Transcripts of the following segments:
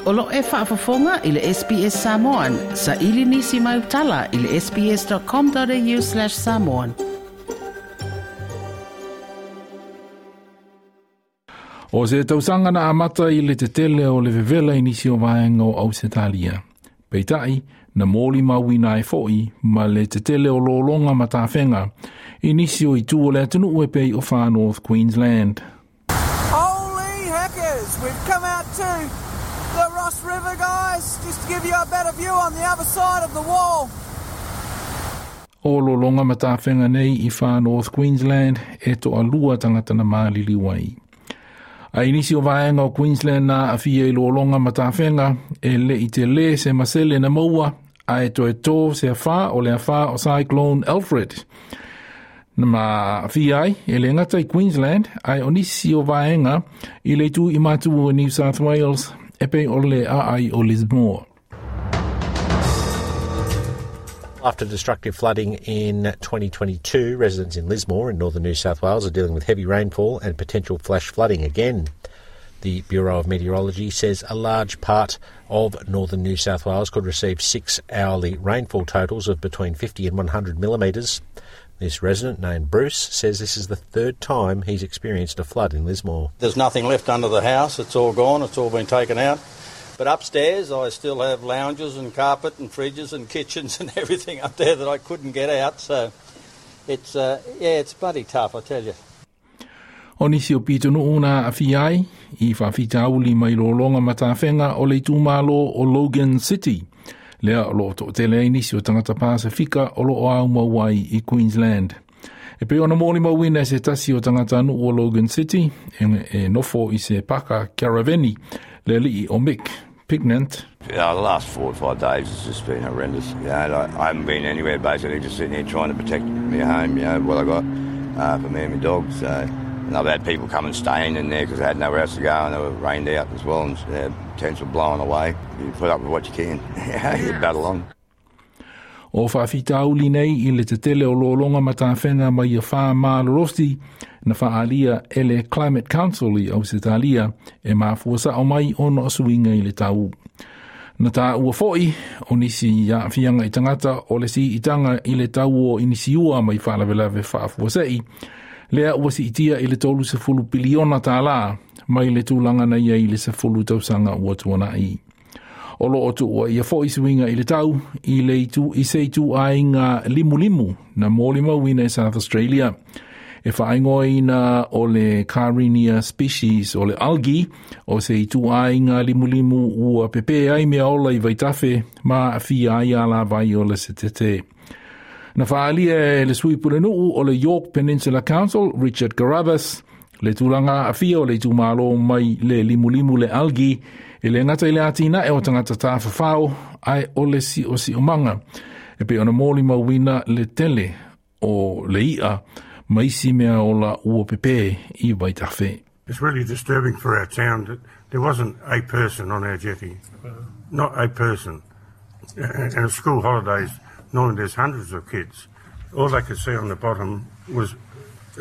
O lo e faafofoga i le SBS Samoan. Saili nisi mau tala i le sbs.com.au/samoan. O se tausaga na amata i le tetele o le vevela i nisi o vaega o Ausetalia. Peitai, na molimauina ai foi ma le tetele o lologa ma tafega i nisi o itu o le atunuu e pei o Far North Queensland. Holy heckers, we've come out to the Ross River, guys, just to give you a better view on the other side of the wall. O lologa ma tafega nei i Far North Queensland e toalua tagata na maliliu ai. A i nisi o vaega o Queensland na aafia i lologa ma tafega e le i tele se masele na maua ae toe tō se afā o le afā o Cyclone Alfred. Na ma-aafia ai e le gata i Queensland ae o nisi o vaega i le itu i matu o New South Wales e pei o le aai o Lismore. After destructive flooding in 2022, residents in Lismore in northern New South Wales are dealing with heavy rainfall and potential flash flooding again. The Bureau of Meteorology says a large part of northern New South Wales could receive 6 hourly rainfall totals of between 50 and 100 millimetres. This resident, named Bruce, says this is the third time he's experienced a flood in Lismore. There's nothing left under the house. It's all gone. It's all been taken out. But upstairs, I still have lounges and carpet and fridges and kitchens and everything up there that I couldn't get out. So it's, yeah, it's bloody tough, I tell you. O nisi o pitonuu na aafia ai i faafitauli mai lologa ma tafega o le itumalo o Logan City. Lea o loo toatele ai nisi o tagata Pasifika o loo aumau ai i Queensland. E pei ona molimauina e se tasi o tagatanuu o Logan City e nofo i se paka karaveni le alii o Mick Pignant. Yeah, the last 4 or 5 days has just been horrendous. Like, I haven't been anywhere basically, just sitting here trying to protect my home, what I got for me and my dog. So, and I've had people come and staying in there because they had nowhere else to go and they were rained out as well and tents were blowing away. You put up with what you can. You battle on. O faafitauli nei i le tetele o lologa ma tafega mai afa malolosi na faaalia e le Climate Council i Ausetalia e mafua sao mai ona o suiga i le tau. Na taua foi o nisi aafiaga i tagata o le siitaga i le tau o inisiua mai faalavelave faafuasei, lea ua siitia i le 30 piliona tālā mai le tulaga na i ai i le 10 tausaga ua tuanai. O loo tuua ia foi suiga i le tau i le itu i se ituaiga limulimu na molimauina i South Australia. E faaigoaina o le Karenia species o le algae o se ituaiga limulimu ua pepe ai mea ola i vaitafe ma aafia ai alavai o le setete. Na faaalia e le sui pulenuu o le Yorke Peninsula Council, Richard Carruthers, le tulaga aafia o le itumalo mai le limulimu le algae e le gata i le atinae o tagata tafafao ae o le siosiomaga. E pei ona molimauina le tele o le i'a ma isi mea ola ua pepe i vaitafe. It's really disturbing for our town that there wasn't a person on our jetty. Not a person. And at school holidays, normally there's hundreds of kids. All they could see on the bottom was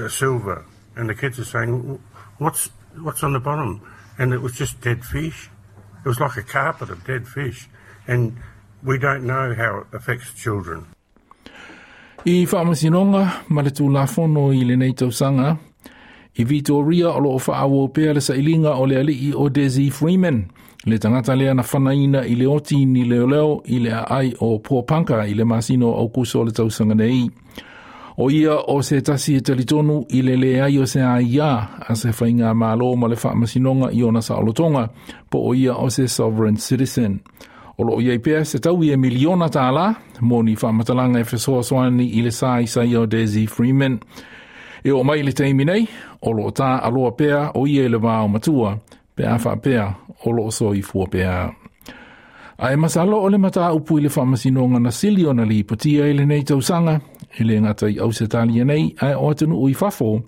silver. And the kids are saying, What's on the bottom?" And it was just dead fish. It was like a carpet of dead fish. And we don't know how it affects children. I faamasinoga ma le tulafono i lenei tausaga, i Vitoria o loo faaauau pea le sailiga o le alii o Desi Freeman, le tagata lea na fanaina i le oti ni leoleo i le aai o Porepunkah i le masina o Aukuso o le tausaga nei. O ia o se tasi e talitonu i le leai o se aia a se faigamalo ma le faamasinoga i ona saolotoga po o ia o se sovereign citizen. O loo iai pea se taui e miliona tālā mo ni faamatalaga e fesoasoani i le sa isaia o Desi Freeman. E oo mai le taimi nei, o loo taaloa pea o ia i le va o matua, pe a faapea o loo soifua pea. Ae masalo o le mataupu i le faamasinoga na sili ona lipotia i lenei tausaga, e le gata i Ausetalia nei, ae o atunuu i fafo.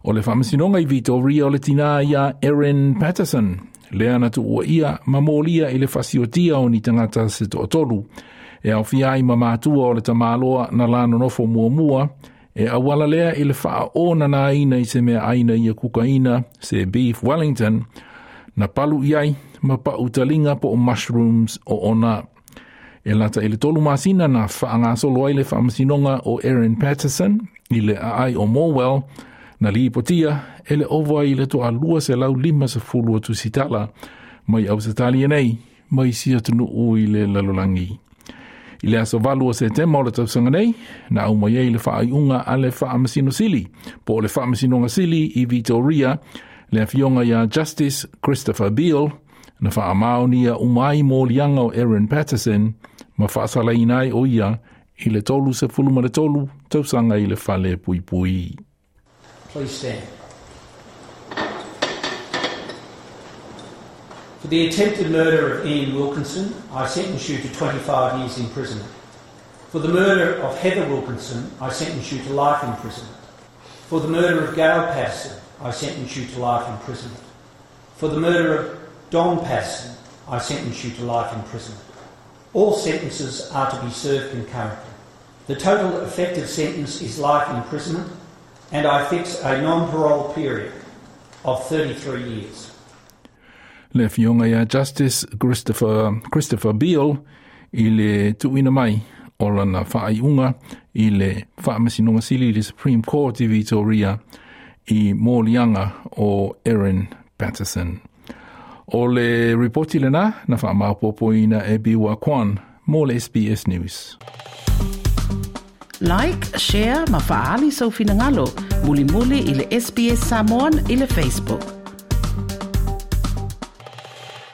O le faamasinoga i Vitoria o le tinā ia Erin Patterson, lea na tuuaia ma molia i le fasiotia o ni tagata se toatolu. E aofia ai ma matua o le tamaloa na la nonofo muamua, e auala lea i le faaonanaina i se meaaina ia kukaina se beef Wellington, Na palu i ai ma pa'u taliga po o mushrooms o ona. E lata i le tolu masina na faagasolo ai le faamasinoga o Erin Patterson i le aai o Morwell na lipotia e le ova i le 250 o tusitala mai Ausetalia nei ma isi atunuu i le lalolagi. I le aso 8 o Setema o le tausaga nei, na aumai ai le faaiuga a le Faamasino Sili, po o le Faamasinoga Sili i Victoria, le afioga ia Justice Christopher Beale, na faamaonia uma ai moliaga o Erin Patterson ma faasalaina ai o ia i le 33 tausaga i le fale puipui. Please stand. For the attempted murder of Ian Wilkinson, I sentence you to 25 years imprisonment. For the murder of Heather Wilkinson, I sentence you to life imprisonment. For the murder of Gail Patterson, I sentence you to life imprisonment. For the murder of Don Patterson, I sentence you to life imprisonment. All sentences are to be served concurrently. The total effective sentence is life imprisonment, and I fix a non-parole period of 33 years. Le afioga ia Justice Christopher Beale i le tuuina mai o lana faaiuga i le Faamasinoga Sili i le Supreme Court i Victoria i moliaga o Erin Patterson. O le ripoti lena na faamaopoopoina e Biwa Kwan mo le SBS News. Like, share ma faaali sou finagalo. Mulimuli i le SBS Samoan i le Facebook.